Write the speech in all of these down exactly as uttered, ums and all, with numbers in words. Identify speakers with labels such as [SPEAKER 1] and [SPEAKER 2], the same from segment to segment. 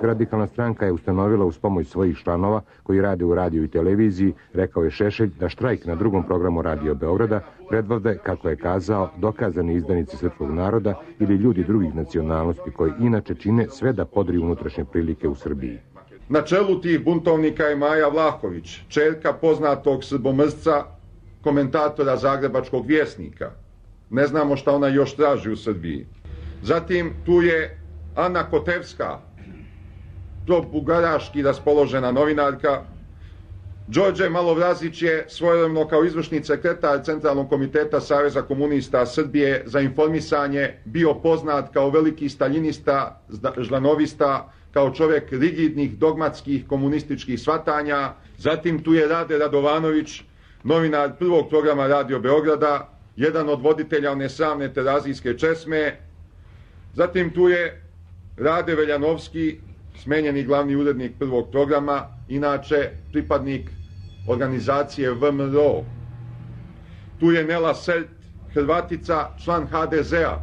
[SPEAKER 1] Radikalna stranka je ustanovila uz pomoć svojih članova koji rade u radiju i televiziji, rekao je Šešelj, da štrajk na drugom programu Radio Beograda predvode, kako je kazao, dokazani izdanici srpskog naroda ili ljudi drugih nacionalnosti koji inače čine sve da podriju unutrašnje prilike u Srbiji.
[SPEAKER 2] Na čelu tih buntovnika je Maja Vlahović, ćerka poznatog srbomrsca, komentatora Zagrebačkog vjesnika. Ne znamo šta ona još traži u Srbiji. Zatim tu je Ana Kotevska, pro-bugaraški raspoložena novinarka. Đorđe Malovrazić je svojevremeno kao izvršni sekretar Centralnog komiteta Saveza komunista Srbije za informisanje bio poznat kao veliki staljinista, žlanovista, kao čovjek rigidnih, dogmatskih, komunističkih shvatanja. Zatim tu je Rade Radovanović, novinar prvog programa Radio Beograda, jedan od voditelja one sramne terazijske česme. Zatim tu je Rade Veljanovski, smenjeni glavni urednik prvog programa, inače pripadnik organizacije V M R O. Tu je Nela Selt, Hrvatica, član H D Z-a.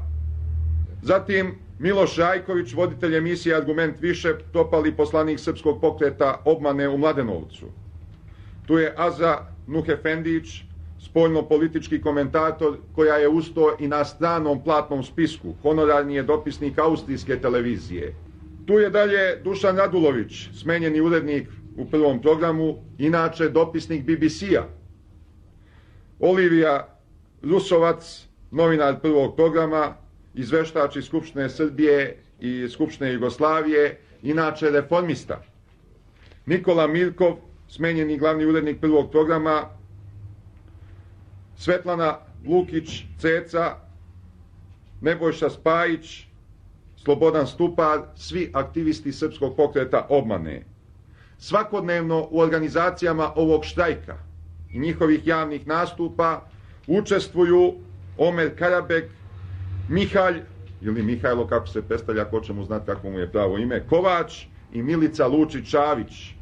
[SPEAKER 2] Zatim Miloš Rajković, voditelj emisije Argument više, propali poslanik srpskog pokreta Obmane u Mladenovcu. Tu je Azra Nuhefendić, spoljno-politički komentator koja je usto i na stranom platnom spisku, honorarni je dopisnik austrijske televizije. Tu je dalje Dušan Radulović, smenjeni urednik u prvom programu, inače dopisnik B B C-a. Olivija Rusovac, novinar prvog programa, izveštač iz Skupštine Srbije i Skupštine Jugoslavije, inače reformista. Nikola Mirkov, smenjeni glavni urednik prvog programa. Svetlana Lukić Ceca, Nebojša Spajić, Slobodan Stupar, svi aktivisti srpskog pokreta Obmane. Svakodnevno u organizacijama ovog štrajka i njihovih javnih nastupa učestvuju Omer Karabek, Mihalj, ili Mihajlo kako se predstavlja, ko će mu znati kako mu je pravo ime, Kovač i Milica Lučić-Čavić.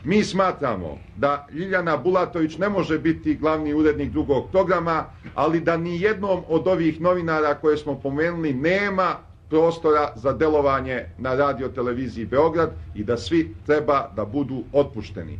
[SPEAKER 2] Mi smatramo da Ljiljana Bulatović ne može biti glavni urednik drugog programa, ali da ni jednom od ovih novinara koje smo pomenuli nema prostora za delovanje na radio televiziji Beograd i da svi treba da budu otpušteni.